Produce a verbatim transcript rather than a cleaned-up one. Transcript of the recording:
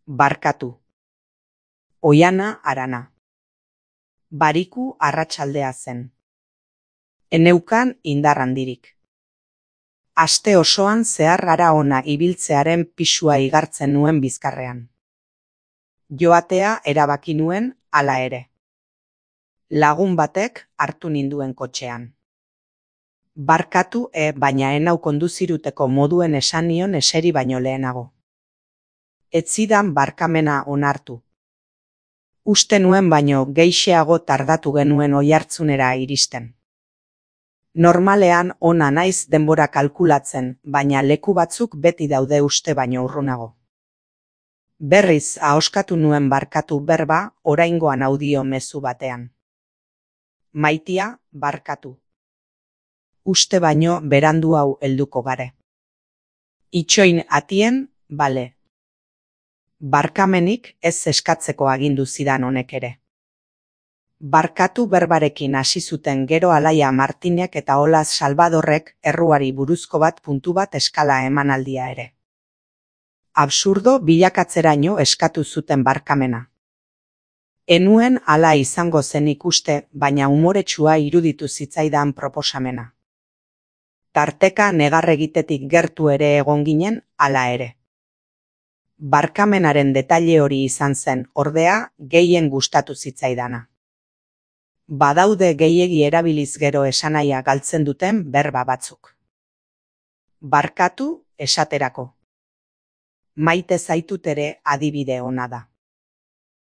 Barkatu. Oiana Arana. Bariku arratsaldea zen. Eneukan indar handirik. Aste osoan zehar hara ona ibiltzearen pisua igartzen nuen bizkarrean. Joatea erabaki nuen hala ere. Lagun batek hartu ninduen kotxean. Barkatu e baina enau konduziruteko moduen esan nion eseri baino lehenago. Ez zidan barkamena onartu. Uste nuen baino gehixeago tardatu genuen oihartzunera iristen. Normalean ona naiz denbora kalkulatzen, baina leku batzuk beti daude uste baino urrunago. Berriz ahoskatu nuen barkatu berba oraingoan audio mezu batean. Maitia, barkatu. Uste baino berandu hau helduko gare. Itxoin atien, bale. Barkamenik ez eskatzeko agindu zidan honek ere. Barkatu berbarekin hasi zuten gero Alaia Martinek eta Olaz Salvadorrek erruari buruzko bat puntu bat eskala emanaldia ere. Absurdo bilakatzeraino eskatu zuten barkamena. Enuen hala izango zen ikuste, baina umoretsua iruditu zitzaidan proposamena. Tarteka negar egitetik gertu ere egon ginen hala ere. Barkamenaren detaile hori izan zen, ordea, gehien gustatu zitzaidana. Badaude gehiegi erabiliz gero esanahia galtzen duten berba batzuk. Barkatu esaterako. Maite zaitut ere adibide ona da.